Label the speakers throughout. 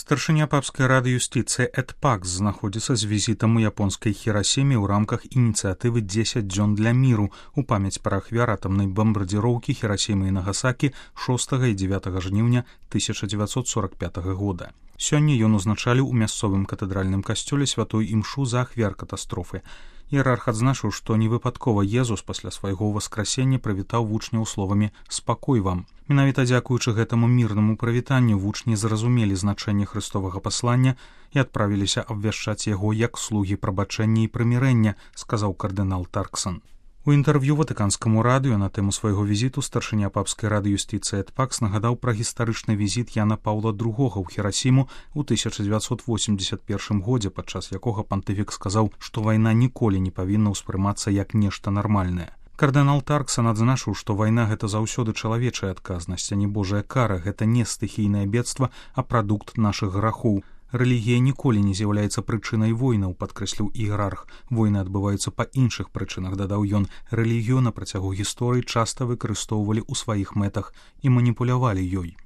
Speaker 1: Старшыня папскай рады юстыцыі Эд Пакс знаходзіцца з візітам у японскай Хірасіме ў рамках ініцыятывы 10 дзён для міру у памяць пра ахвяр атамнай бамбардзіроўкі Хірасімы і Нагасакі 6 і 9 жніўня 1945 года. Сёння ён узначаліў у мясцовым катэдральным касцёле святой імшу за ахвяр катастрофы. Іерарх адзначыў, што невыпадкова Езус пасля свайго ўваскрасення прывітаў вучняў словамі «Спакой вам». Менавіта дзякуючы гэтаму мірнаму прывітанню вучні зразумелі значэнне хрыстовага паслання і адправіліся абвяшчаць яго як слугі прабачэння і прымірэння, сказаў кардынал Тарксон. У інтэрв'ю ватыканскаму радыё на тэму свайго візіту старшыня папскай рады юстыцыі Эд Пакс нагадаў пра гістарычны візіт Яна Паўла II ў Хірасіму ў 1981 годзе, падчас якога пантыфік сказаў, што вайна ніколі не павінна ўспрымацца як нешта нармальнае. Кардынал Тарксон адзначыў, што вайна — гэта заўсёды чалавечая адказнасць, а не божая кара, гэта не стыхійнае бедства, а прадукт нашых грахоў. Рэлігія ніколі не з'яўляецца прычынай войнаў, падкрэсліў іерарх. Войны адбываюцца па іншых прычынах, дадаў ён. Рэлігію на працягу гісторыі часта выкарыстоўвалі ў сваіх мэтах і маніпулявалі ёй.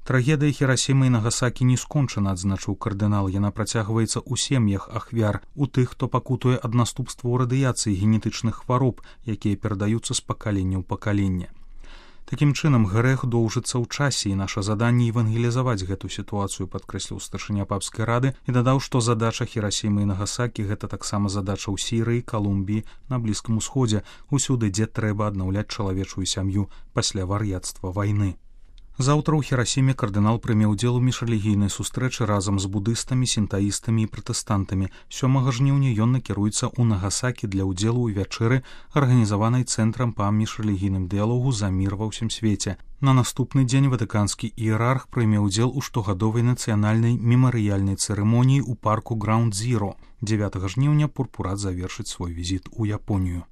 Speaker 1: Трагедыя Хірасімы і Нагасакі не скончана, адзначыў кардынал. Яна працягваецца ў сем'ях ахвяр, у тых, хто пакутуе ад наступстваў радыяцыі генетычных хвароб, якія перадаюцца з пакалення ў пакаленне. Такім чынам, грэх доўжыцца ў часе, і наша заданне евангелізаваць гэту сітуацыю, падкрэсліў старшыня папскай рады і дадаў, што задача Хірасімы і Нагасакі — гэта таксама задача ў Сірыі, Калумбіі, на Блізкім Усходзе, усюды, дзе трэба аднаўляць чалавечую сям'ю пасля вар'яцтва вайны. Заўтра ў Хірасіме кардынал прыме ўдзел у міжрэлігійнай сустрэчы разам з будыстамі, сінтаістамі і пратэстантамі. 7 жніўня ён накіруецца ў Нагасакі для ўдзелу ў вячэры, арганізаванай цэнтрам па міжрэлігійным дыялогу за мір ва ўсім свеце. На наступны дзень ватыканскі іерарх прыме ўдзел у штогадовай нацыянальнай мемарыяльнай цырымоніі ў парку Граунд Зіро. 9 жніўня пурпурат завершыць свой візіт у Японію.